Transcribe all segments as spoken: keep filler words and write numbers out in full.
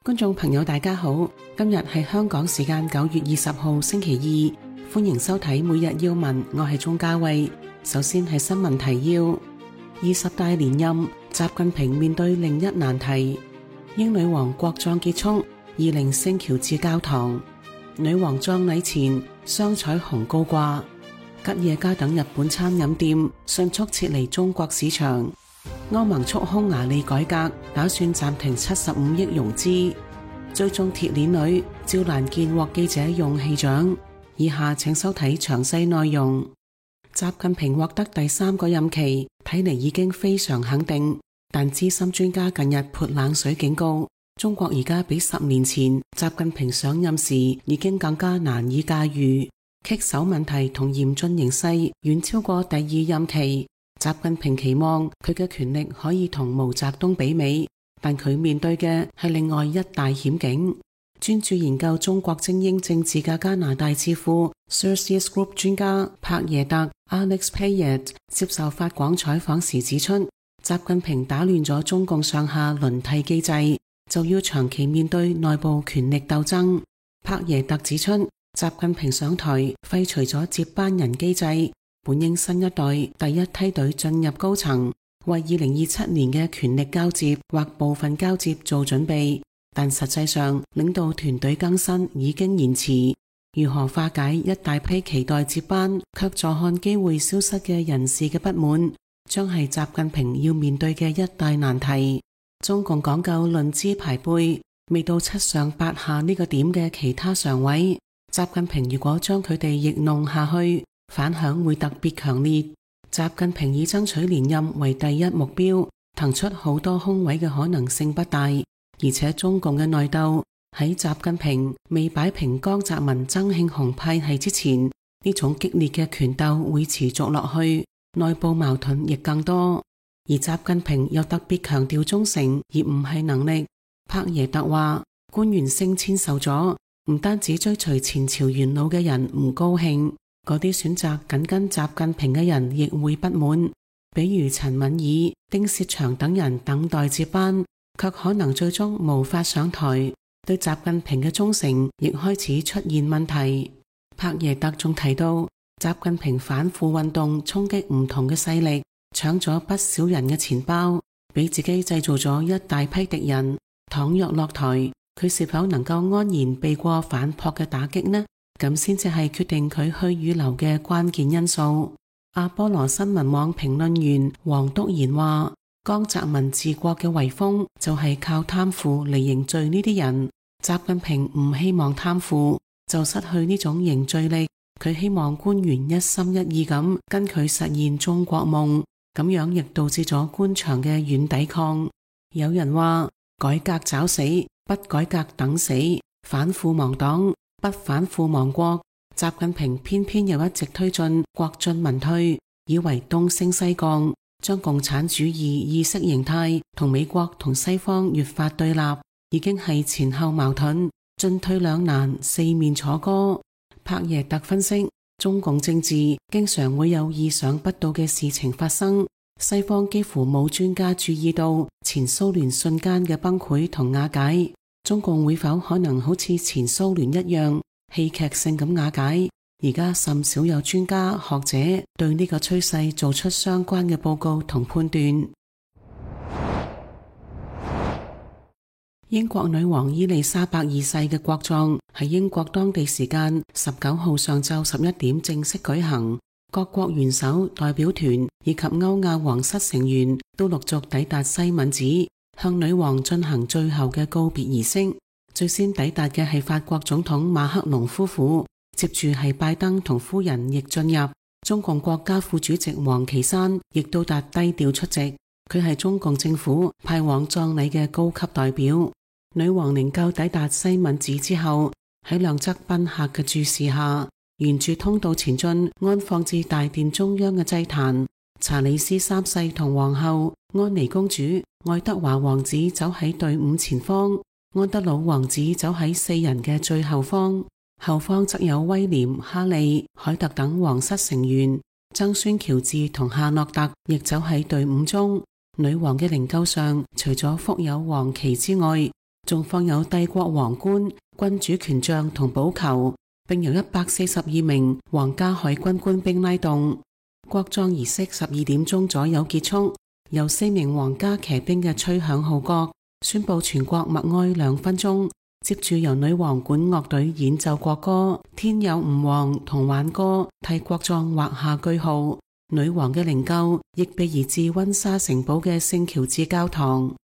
觀眾朋友大家好，今日係香港時間九月二十號星期二，歡迎收睇每日要聞，我係鍾嘉慧。首先係新聞提要：二十大連任，習近平面對另一難題。英女王國葬結束，二零聖喬治教堂，女王葬禮前雙彩虹高掛。吉野家等日本餐飲店迅速撤離中國市場。歐盟促匈牙利改革，打算暫停七十五億融資。追蹤鐵鏈女趙蘭健獲記者勇氣獎。以下請收睇詳細內容。習近平獲得第三個任期，睇嚟已經非常肯定，但資深專家近日潑冷水警告，中國而家比十年前習近平上任時已經更加難以駕馭，棘手問題同嚴峻形勢遠超過第二任期。習近平期望佢嘅權力可以同毛澤東媲美，但佢面對嘅係另外一大險境。專注研究中國精英政治嘅加拿大智庫 Celsius Group 專家柏耶特 Alex Payet 接受法廣採訪時指出，習近平打亂咗中共上下輪替機制，就要長期面對內部權力鬥爭。柏耶特指出，習近平上台廢除咗接班人機制，本應新一代第一梯隊進入高層，為二零二七年嘅權力交接或部分交接做準備，但實際上領導團隊更新已經延遲。如何化解一大批期待接班卻坐看機會消失嘅人士嘅不滿，將係習近平要面對嘅一大難題。中共講究論資排輩，未到七上八下呢個點嘅其他常委，習近平如果將佢哋逆弄下去，反響會特別強烈。習近平以爭取連任為第一目標，騰出好多空位嘅可能性不大。而且中共嘅內鬥喺習近平未擺平江澤民、曾慶紅派系之前，呢種激烈嘅權鬥會持續落去，內部矛盾亦更多。而習近平又特別強調忠誠而唔係能力。柏耶特話，官員升遷受阻，唔單止追隨前朝元老嘅人唔高興，嗰啲選擇緊跟習近平嘅人亦會不滿，比如陳敏爾、丁薛祥等人等待接班，卻可能最終無法上台，對習近平嘅忠誠亦開始出現問題。柏耶特仲提到，習近平反腐運動衝擊唔同嘅勢力，搶咗不少人嘅錢包，俾自己製造咗一大批敵人。倘若落台，佢是否能夠安然避過反撲嘅打擊呢？咁先至係決定佢去與留嘅關鍵因素。阿波羅新聞網評論員黃篤賢話，江澤民治國嘅遺風就係靠貪腐嚟凝聚呢啲人。習近平唔希望貪腐，就失去呢種凝聚力。佢希望官員一心一意咁跟佢實現中國夢，咁樣亦導致咗官場嘅軟抵抗。有人話，改革找死，不改革等死；反腐亡黨，不反腐亡國。習近平偏偏又一直推進國進民退，以為東升西降，將共產主義意識形態同美國同西方越發對立，已經係前後矛盾，進退兩難，四面楚歌。柏耶特分析，中共政治經常會有意想不到嘅事情發生，西方幾乎冇專家注意到前蘇聯瞬間嘅崩潰同瓦解，中共會否可能好似前蘇聯一樣戲劇性咁瓦解？而家甚少有專家學者對呢個趨勢做出相關嘅報告同判斷。英國女王伊麗莎白二世嘅國葬喺英國當地時間十九號上晝十一點正式舉行，各國元首、代表團以及歐亞皇室成員都陸續抵達西敏寺，向女王進行最後嘅告別儀式。最先抵達嘅係法國總統馬克龍夫婦，接住係拜登同夫人亦進入。中共國家副主席王岐山亦到達低調出席，佢係中共政府派往葬禮嘅高級代表。女王靈柩抵達西敏寺之後，喺兩側賓客嘅注視下，沿住通道前進，安放至大殿中央嘅祭壇。查理斯三世同皇后、安妮公主、愛德華王子走喺隊伍前方，安德魯王子走喺四人嘅最後方，後方則有威廉、哈利、凱特等皇室成員。曾孫喬治同夏諾特亦走喺隊伍中。女王嘅靈柩上，除咗覆有黃旗之外，仲放有帝國皇冠、君主權杖同寶球，並由一百四十二名皇家海軍官兵拉動。國葬儀式十二點鐘左右結束，由四名皇家騎兵嘅吹響號角，宣布全國默哀兩分鐘。接住由女王管樂隊演奏國歌《天佑吾皇》同挽歌，替國葬畫下句號。女王嘅靈柩亦被移至溫莎城堡嘅聖喬治教堂。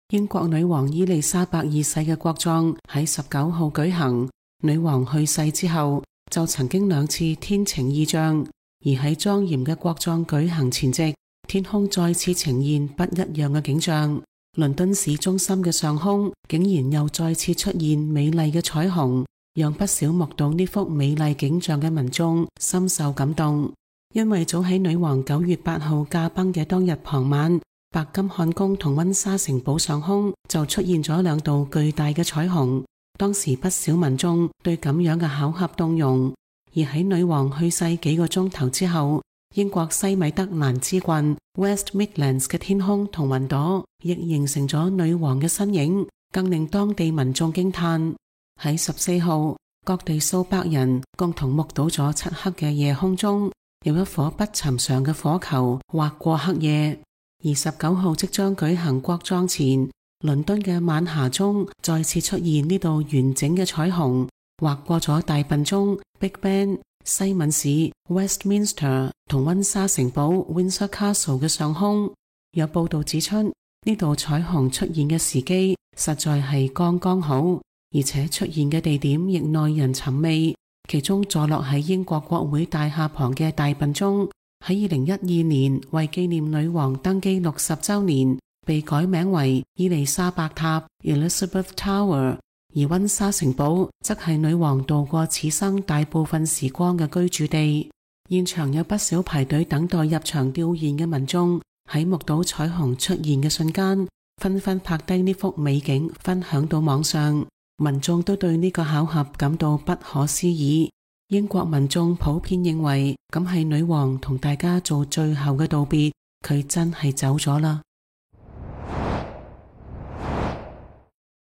英國女王伊麗莎白二世嘅國葬喺十九號舉行。女王去世之後，就曾經兩次天晴異象，而喺莊嚴嘅國葬舉行前夕，天空再次呈現不一樣嘅景象。倫敦市中心嘅上空竟然又再次出現美麗嘅彩虹，讓不少目睹呢幅美麗景象嘅民眾深受感動。因為早喺女王九月八號駕崩嘅當日傍晚，白金漢宮同溫莎城堡上空就出現咗兩道巨大嘅彩虹。當時不少民眾對咁樣嘅巧合動容。而喺女王去世幾個鐘頭之後，英國西米德蘭之郡 West Midlands 嘅天空同雲朵亦形成咗女王嘅身影，更令當地民眾驚嘆。喺十四號，各地數百人共同目睹咗漆黑嘅夜空中有一顆不尋常嘅火球劃過黑夜。而十九號即將舉行國葬前，倫敦嘅晚霞中再次出現呢道完整嘅彩虹，劃過咗大笨鐘 Big Ben、西敏市 Westminster 同溫莎城堡 Windsor Castle 嘅上空。有報道指出，呢道彩虹出現嘅時機實在係剛剛好，而且出現嘅地點亦耐人尋味。其中坐落喺英國國會大廈旁嘅大笨鐘，喺二零一二年為紀念女王登基六十週年，被改名為伊麗莎白塔 Elizabeth Tower。而溫莎城堡則係女王度過此生大部分時光嘅居住地。現場有不少排隊等待入場弔唁嘅民眾，喺目睹彩虹出現嘅瞬間，紛紛拍低呢幅美景分享到網上。民眾都對呢個巧合感到不可思議。英國民眾普遍認為咁係女王同大家做最後嘅道別，佢真係走咗啦。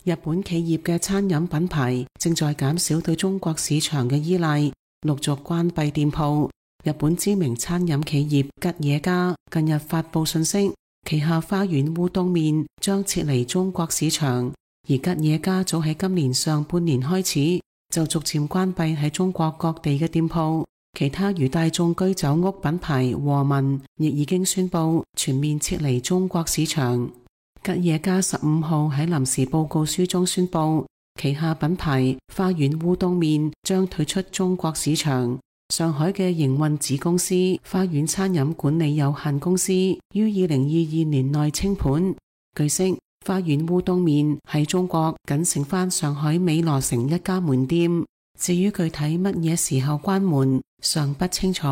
日本企業嘅餐飲品牌正在減少對中國市場嘅依賴，陸續關閉店鋪。日本知名餐飲企業吉野家近日發布信息，旗下花園烏冬麵將撤離中國市場。而吉野家早喺今年上半年開始就逐漸關閉喺中國各地嘅店鋪。其他如大眾居酒屋品牌和民亦已經宣布全面撤離中國市場。吉野家十五號喺臨時報告書中宣布，旗下品牌花園烏冬麵將退出中國市場。上海嘅營運子公司花園餐飲管理有限公司於二零二二年內清盤。據悉，花園烏冬麵喺中國僅剩返上海美羅城一家門店，至於具體乜嘢時候關門尚不清楚。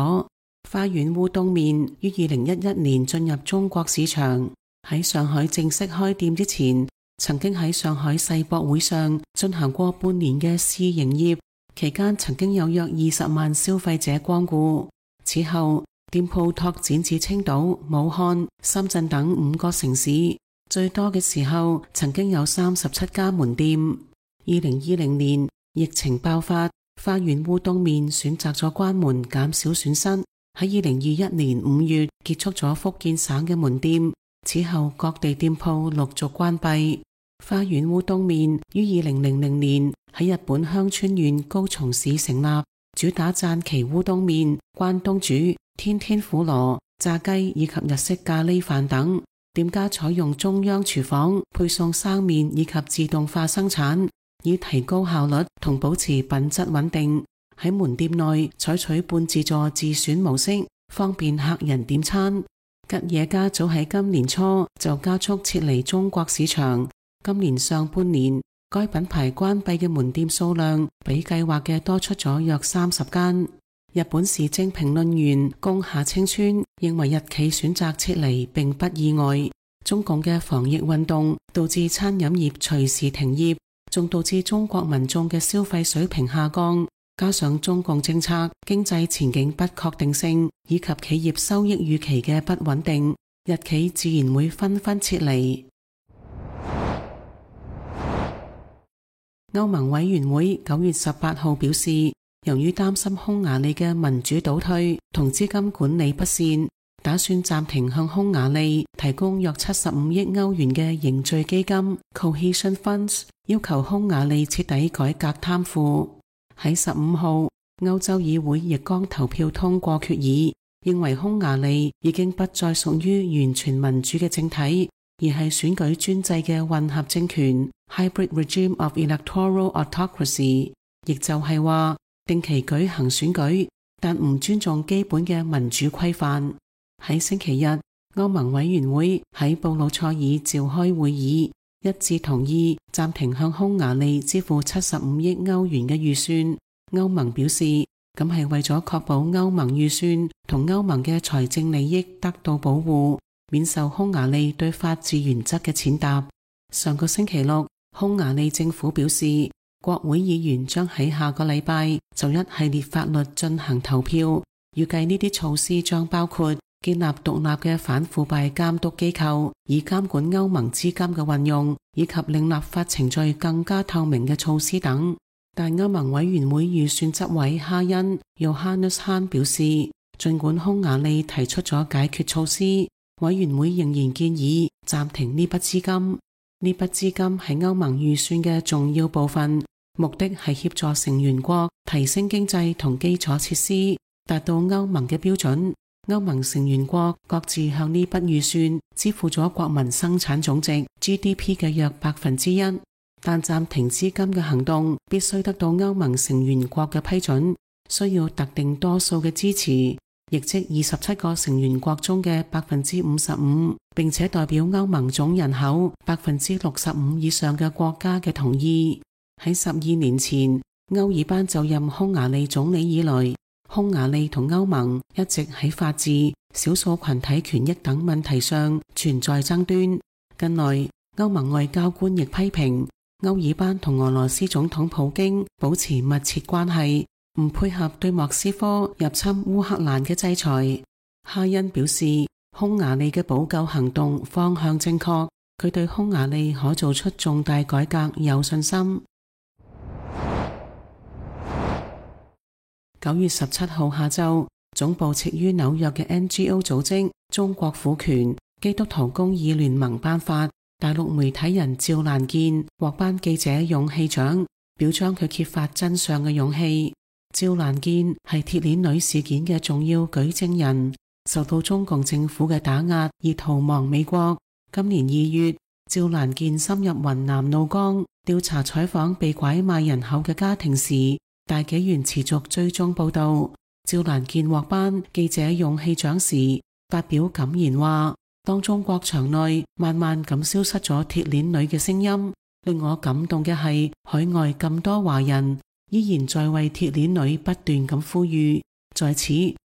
花園烏冬麵於二零一一年進入中國市場，喺上海正式開店之前，曾經喺上海世博會上進行過半年嘅試營業，期間曾經有約二十萬消費者光顧。此後，店鋪拓展至青島、武漢、深圳等五個城市，最多嘅時候曾經有三十七家門店。二零二零年疫情爆發，花園烏冬麵選擇咗關門減少損失，喺二零二一年五月結束咗福建省嘅門店。此後各地店鋪陸續關閉。花園烏冬麵於二零零零年喺日本香川縣高松市成立，主打讚岐烏冬麵、關東煮、天天婦羅、炸雞以及日式咖喱飯等。店家採用中央廚房配送生麵以及自動化生產，以提高效率同保持品質穩定。喺門店內採取半自助自選模式，方便客人點餐。吉野家早喺今年初就加速撤離中國市場，今年上半年該品牌關閉嘅門店數量比計劃嘅多出咗約三十間。日本時政評論員宮下清川認為日企選擇撤離並不意外，中共嘅防疫運動導致餐飲業隨時停業，仲導致中國民眾嘅消費水平下降。加上中共政策、經濟前景不確定性以及企業收益預期嘅不穩定，日企自然會紛紛撤離。歐盟委員會九月十八號表示，由於擔心匈牙利嘅民主倒退同資金管理不善，打算暫停向匈牙利提供約七十五億歐元嘅凝聚基金 Cohesion Funds， 要求匈牙利徹底改革貪腐。喺十五號，歐洲議會亦剛投票通過決議，認為匈牙利已經不再屬於完全民主嘅政體，而係選舉專制嘅混合政權 Hybrid Regime of Electoral Autocracy， 亦就係話定期舉行選舉，但唔尊重基本嘅民主規範。喺星期日，歐盟委員會喺布魯塞爾召開會議，一致同意暫停向匈牙利支付七十五億歐元嘅預算。歐盟表示，咁係為咗確保歐盟預算同歐盟嘅財政利益得到保護，免受匈牙利對法治原則嘅踐踏。上個星期六，匈牙利政府表示，國會議員將喺下個禮拜就一系列法律進行投票，預計呢啲措施將包括建立獨立嘅反腐敗監督機構，以監管歐盟資金嘅運用，以及令立法程序更加透明嘅措施等。但歐盟委員會預算執委哈恩 Johannes Hahn 表示，儘管匈牙利提出咗解決措施，委員會仍然建議暫停呢筆資金。呢筆資金係歐盟預算嘅重要部分，目的係協助成員國提升經濟同基礎設施，達到歐盟嘅標準。歐盟成員國各自向呢筆預算支付咗國民生產總值 G D P 嘅約百分之一，但暫停資金嘅行動必須得到歐盟成員國嘅批准，需要特定多數嘅支持，亦即二十七個成員國中嘅百分之五十五，並且代表歐盟總人口百分之六十五以上嘅國家嘅同意。喺十二年前，歐爾班就任匈牙利總理以來，匈牙利同歐盟一直喺法治、少數群體權益等問題上存在爭端。近來，歐盟外交官亦批評歐爾班同俄羅斯總統普京保持密切關係，唔配合對莫斯科入侵烏克蘭嘅制裁。哈恩表示，匈牙利嘅補救行動方向正確，佢對匈牙利可做出重大改革有信心。九月十七號下晝，總部設於紐約嘅 N G O 組織中國婦權基督徒公義聯盟頒發大陸媒體人趙蘭健獲頒記者勇氣獎，表彰佢揭發真相嘅勇氣。趙蘭健係鐵鏈女事件嘅重要舉證人，受到中共政府嘅打壓而逃亡美國。今年二月，趙蘭健深入雲南怒江調查採訪被拐賣人口嘅家庭時，大紀元持續追蹤報道。趙蘭健獲頒記者勇氣獎時，發表感言話，當中國場內慢慢咁消失咗鐵鏈女嘅聲音，令我感動嘅係海外咁多華人依然在為鐵鏈女不斷咁呼籲。在此，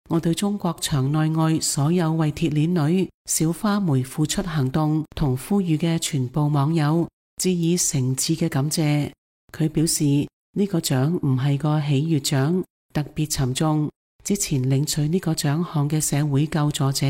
我對中國場內外所有為鐵鏈女小花梅付出行動同呼籲嘅全部網友致以誠摯嘅感謝。佢表示，呢個獎唔係個喜悅獎，特別沉重。之前領取呢個獎項嘅社會救助者，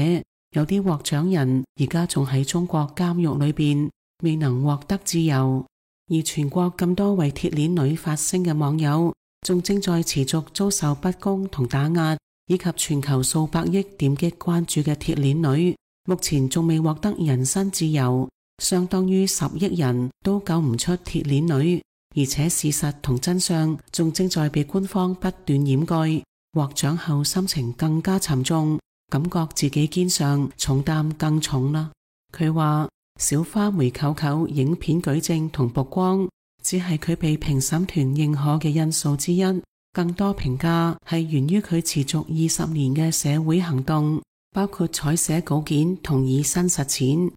有啲獲獎人而家仲喺中國監獄裏邊，未能獲得自由。而全國咁多為鐵鏈女發聲嘅網友，仲正在持續遭受不公同打壓，以及全球數百億點擊關注嘅鐵鏈女，目前仲未獲得人身自由，相當於十億人都救唔出鐵鏈女。而且事實同真相仲正在被官方不斷掩蓋，獲獎後心情更加沉重，感覺自己肩上重擔更重啦。佢話小花梅舅舅影片舉證同曝光只係佢被評審團認可嘅因素之一，更多評價係源於佢持續二十年嘅社會行動，包括採寫稿件同以身實踐。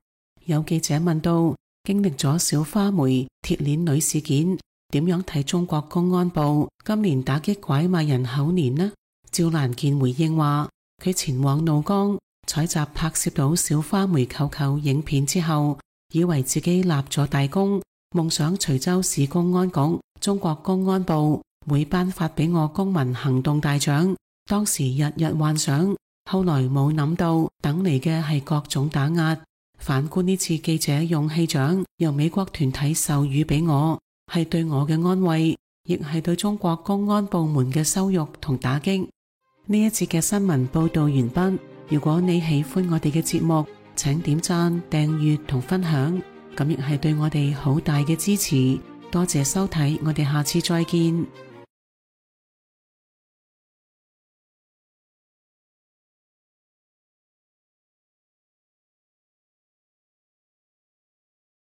有記者問到，經歷咗小花梅鐵鏈女事件，點樣睇中國公安部今年打擊拐賣人口年呢？趙蘭健回應話，佢前往怒江採集拍攝到小花梅舅舅影片之後，以為自己立咗大功，夢想徐州市公安局、中國公安部會頒發俾我公民行動大獎。當時日日幻想後來冇諗到等嚟嘅係各種打壓。反觀呢次記者勇氣獎由美國團體授予俾我，係對我嘅安慰，亦係對中國公安部門嘅羞辱同打擊。呢一節嘅新聞報道完畢。如果你喜歡我哋嘅節目，請點讚、訂閱同分享，咁亦係對我哋好大嘅支持。多謝收睇，我哋下次再見。